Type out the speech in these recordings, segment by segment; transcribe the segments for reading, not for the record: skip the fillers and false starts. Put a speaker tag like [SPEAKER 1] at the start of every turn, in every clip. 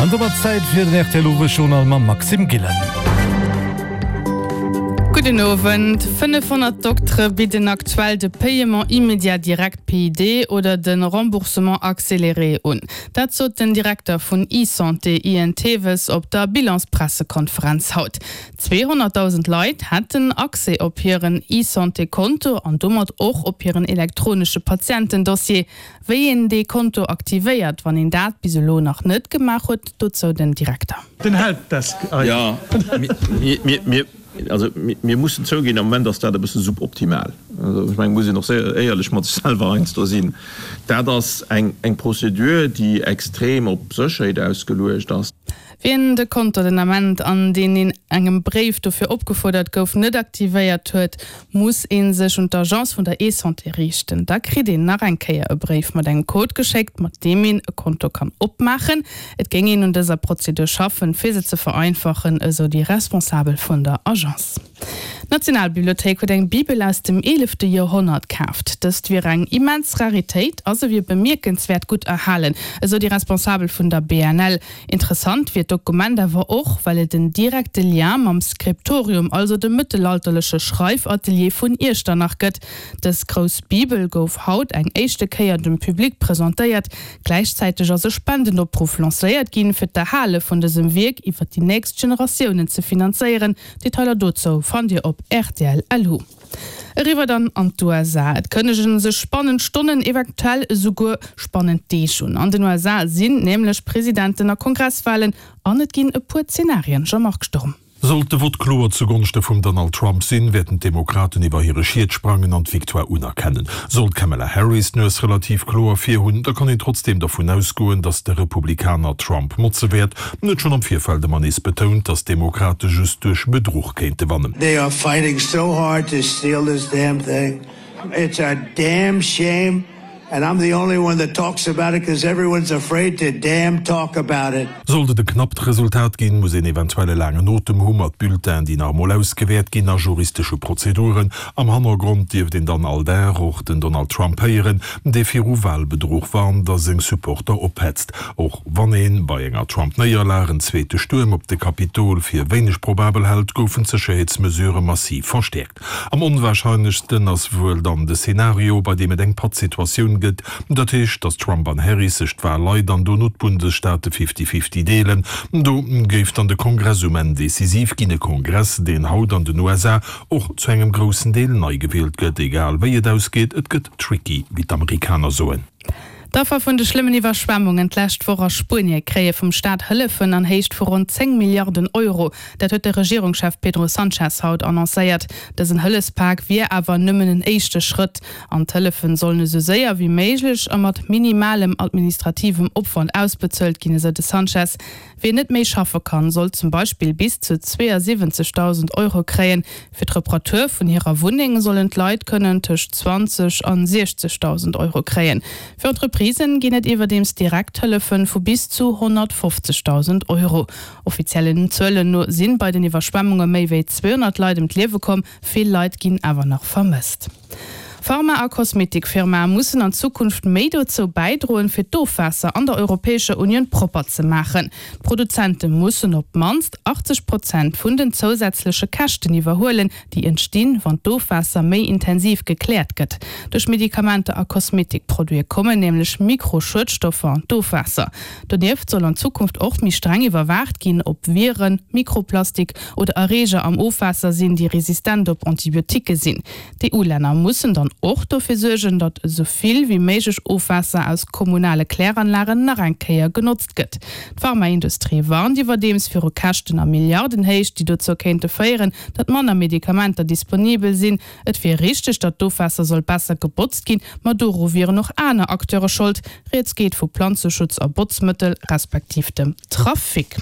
[SPEAKER 1] An domat Zäit fir den rtl Owesjournal mam Maxime Gillen.
[SPEAKER 2] Gudden Owend. 500 Doktere bidden aktuell de Paiement immédiat direct, PID, oder de Remboursement accéléré un. Dat sot den Direkter vun eSanté, Ian Tewes, op der Bilanspressekonferenz haut. 200.000 Leit hätten Accès op hiren eSanté-Konto an domat och op hiren elektronesche Patientendossier. Wéi een dee Konto aktivéiert, wann een dat bis elo nach net gemaach huet, dozou den Direkter.
[SPEAKER 3] Den Helpdesk ei.
[SPEAKER 4] Jo, mir, also mir mussen zouginn, am Moment ass dat e bësse suboptimal. Also ech mengen, muss een och séier éierlech mat sech selwer heiansdo sinn. Dat ass eng, eng Procédure, déi extrem op Sécherheet ausgeluecht ass.
[SPEAKER 2] Wien de Konto den Ament, an deen een engem Bréif dofir opgefuerdert gouf, net aktivéiert huet, muss ee sech un d'Agence vun der eSanté riichten. Da kritt een nach eng Kéier e Bréif mat engem Code geschéckt, mat deem een e Konto kann opmaachen. Et géing een un dëser Prozedur schaffen, fir se ze vereinfachen, esou déi Responsabel vun der Agence. D'Nationalbibliothéik huet eng Bibel aus dem eelefte Joerhonnert kaaft. Dëst wier eng immens Raritéit a se wier bemierkenswäert gutt erhalen, esou déi Responsabel vun der BNL. Interessant wier d'Dokument awer och, well et en direkte Lien mam Skriptorium, also dem mëttelalterleche Schreifatelier vun Iechternach gëtt. Dës grouss Bibel gouf haut eng éischte Kéier dem Public presentéiert. Gläichzäiteg ass e Spendenopruff lancéiert ginn, fir d'Erhale vun dësem Wierk iwwer déi nächst Generatiounen ze finanzéieren. Detailer dozou fannt Dir op rtl.lu. Eriwwer dann an d'USA. Et kënnegen sech spannend Stonnen, eventuell esouguer spannend Deeg un. An den USA sinn nämlech Presidenten a Kongresswalen an et ginn e puer Zenarien. Jean-Marc Sturm.
[SPEAKER 5] Sollt de Vott kloer zu Gonschte vum Donald Trump sinn, wäerten d'Demokraten iwwer hire Schiet sprangen an d'Victoire unerkennen. Sollt d'Kamala Harris d'Nues relativ kloer vir hunn, da kann een trotzdeem dervun ausgoen, datt de Republikaner Trump motze wäert. En huet schonn am Virfeld ëmmer nees betount, datt d'Demokrate just duerch Bedruch kéinte wannen.
[SPEAKER 6] They are fighting so hard to steal this damn thing. It's a damn shame and I'm the only one that talks about it cause everyone's afraid to damn talk about it.
[SPEAKER 5] Sollt et e knappt Resultat ginn, muss een eventuell e laangen Otem hu mat Bulletinen, déi nach emol ausgewäert ginn, a juristesche Prozeduren. Am Hannergrond dierft een dann all Dag och den Donald Trump héieren, dee viru Walbedruch warnt a seng Supporter ophetzt. Och wann ee bei enger Trump-Néierlag en zweete Stuerm op de Kapitol fir wéineg probabel hält, goufen d'Sécherheetsmesurë massiv verstäerkt. Am onwarscheinlechsten ass wuel dann de Szenario, bei deem et eng Pattsituatioun gëtt, dat heescht, datt Trump an Harris sech d'Wal-Leit an dono d'Bundesstaate fifty-fifty deelen. Do géif dann de Kongress um Enn decisiv ginn, e Kongress, deen haut an den USA och zu engem groussen Deel nei gewielt gëtt. Egal wéi et ausgeet, et gëtt tricky, wéi d'Amerikaner soen.
[SPEAKER 2] D'Affer vun de schlëmmen Iwwerschwemmungen d'lescht Woch a Spuenie kréie vum Staat Hëllefen an Héicht vu ronn 10 Milliarden Euro. Dat huet de Regierungschef Pedro Sanchez haut annoncéiert. Dësen Hëllefspak wier awer nëmmen en éischte Schrëtt. An d'Hëllefen sollen esou séier wéi méiglech a mat minimalem administrativem Opwand ausbezuelt ginn, esou de Sanchez. Wien net méi schaffe kann, soll zum Beispill bis zu 72.000 Euro kréien. Fir d'Reparatur vun hirer Wunneng sollen d'Leit kënnen tëscht 20 an 60.000 Euro kréien. Fir Entreprisen ginn et iwwerdeems Direkthëllefe vu bis zu 150.000 Euro. Offiziellen Zuelen no sinn bei den Iwwerschwemmunge méi wéi 200 Leit ëm d'Liewe komm, vill Leit ginn awer nach vermësst. Pharma a Kosmetikfirmae mussen an Zukunft méi dozou bäidroen, fir d'Ofwaasser an der Europäescher Unioun propper ze maachen. D'Produzente mussen op d'mannst 80 Prozent vun den zousätzleche Käschten iwwerhuelen, déi entstinn, wann d'Ofwaasser méi intensiv gekläert gëtt. Duerch Medikamenter a Kosmetikproduite kommen nämlech Mikroschuedstoffer an d'Ofwaasser. Donieft soll an Zukunft och méi streng iwwerwaacht ginn, ob Viren, Mikroplastik oder Erreeger am Ofwaasser sinn, déi resistent op Antibioticke sinn. D'EU-Länner mussen dann och dofir suergen, datt esou vill wéi méiglech Ofwaasser aus kommunale Kläranlagen nach eng Kéier genotzt gëtt. D'Pharmaindustrie warnt iwwerdeems viru Käschten a Milliardenhéicht, déi dozou kéinte féieren, datt manner Medikamenter disponibel sinn. Et wier richteg, datt d'Ofwaasser soll besser gebotzt ginn, ma doru wieren och aner Acteure Schold. Rieds geet vu Planzeschutz a Botzmëttel, respektiv dem Trafic.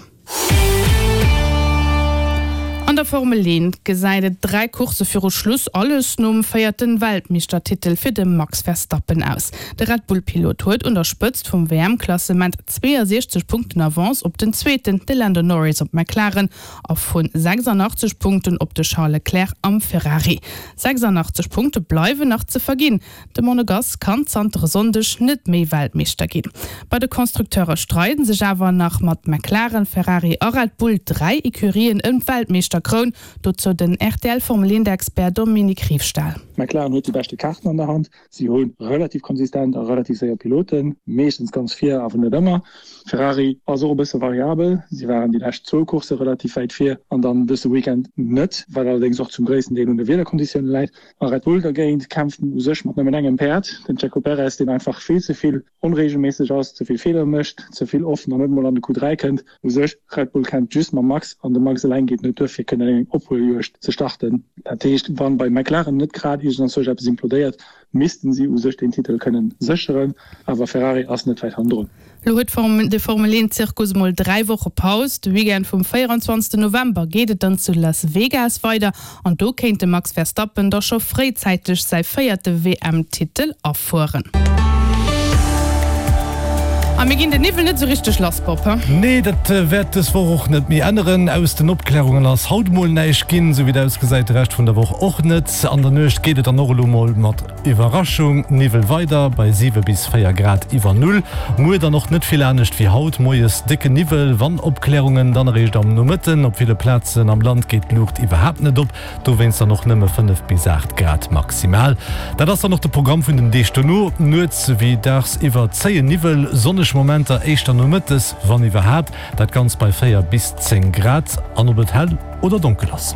[SPEAKER 2] der Formel 1 gesäit et 3 Coursse viru Schluss alles nom véierte Weltmeeschtertitel fir de Max Verstappen aus. De Red Bull-Pilot huet un der Spëtzt vum WM-Klassement 62 Punkten Avance op den Zweeten, de Lando Norris op McLaren, a vu 86 Punkten op de Charles Leclerc am Ferrari. 86 Punkte bleiwen nach ze verginn. De Monegass kann zanter e Sonndeg net méi Weltmeeschter ginn. Bei de Constructeure streiden sech awer nach mat McLaren, Ferrari a Red Bull 3 Ecurien ëm d'Weltmeeschterkroun. Dozou den RTL-Formel-Eent-Expert Dominique Riefstahl.
[SPEAKER 3] McLaren huet déi beschte Kaarten an der Hand. Si hu relativ konsistent a relativ séier Piloten, meeschtens ganz vir, awer net ëmmer. Ferrari ass och e bësse variabel, si waren déi lescht zwou Coursse relativ wäit vir an dann dëse Weekend net, wat allerdéngs och zum gréissten Deel un de Wiederkonditioune läit. A Red Bull dergéint kämpft u sech mat nëmmen engem Päerd, den Checo Perez, deen einfach vill ze vill onreegelméisseg ass, ze vill Feeler mécht, ze vill oft nach net emol an de Q3 kënnt. U sech, Red Bull kämpft just mam Max an de Max eleng geet net duer fir kënnen eng Ophueljuegd ze starten. Dat heescht, wann bei McLaren net grad iergendanzwousch eppes implodéiert, missten si u sech deen Titel kënnen sécheren, awer Ferrari ass net wäit hannendrun.
[SPEAKER 2] Lo huet de Formel 1 Zirkus mol 3 Woche Paus. De Weekend vum 24 November geet et dann zu Las Vegas weider an do kéint de Max Verstappen da scho fréizäiteg säi véierte WM-Titel afueren. A mir ginn den Niwwel net esou richteg lass, Bob, he?
[SPEAKER 1] Nee, dat wäert dës Woch och net méi änneren. Aus den Opklärungen ass haut mol näischt ginn, esou wéi et ausgesäit de Rescht vun der Woch och net. An der Nuecht geet et dann och elo mol mat Iwwerraschung Niwwel weider bei 7 bis 4 Grad iwwer Null. Muer dann och net vill anescht wéi haut, moies décke Niwwel, wann Opklärungen dann eréischt am Nomëtten. Op ville Plazen am Land geet d'Luucht iwwerhaapt net op. Dowéinst dann och nëmme 5 bis 8 Grad maximal. Dat ass dann och de Programm vun den Deeg dono, Nuets wéi dagsiwwer zéien Niwwel, sonneg Momenter éischter nomëttes, wann iwwerhaapt. Dat Ganzt bei 4 bis 10 Grad. An ob et hell oder donkel ass.